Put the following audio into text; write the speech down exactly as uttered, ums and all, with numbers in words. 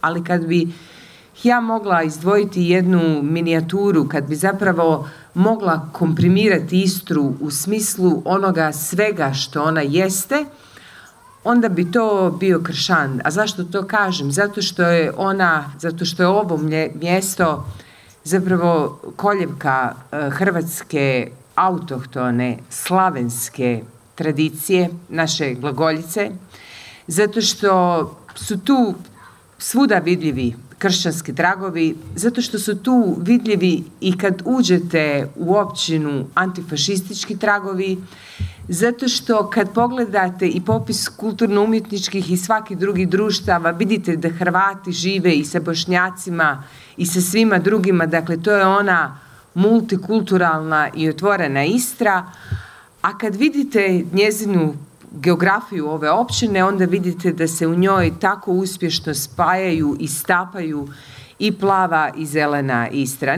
ali kad bi ja mogla izdvojiti jednu minijaturu, kad bi zapravo mogla komprimirati Istru u smislu onoga svega što ona jeste, onda bi to bio Kršan. A zašto to kažem? Zato što je ona, zato što je ovo mjesto zapravo koljevka hrvatske autohtone, slavenske tradicije, naše glagoljice, zato što su tu svuda vidljivi kršćanski tragovi, zato što su tu vidljivi i kad uđete u općinu antifašistički tragovi, zato što kad pogledate i popis kulturno-umjetničkih i svakih drugih društava, vidite da Hrvati žive i sa Bošnjacima i sa svima drugima, dakle to je ona multikulturalna i otvorena Istra, a kad vidite njezinu geografiju ove općine, onda vidite da se u njoj tako uspješno spajaju i stapaju i plava i zelena Istra.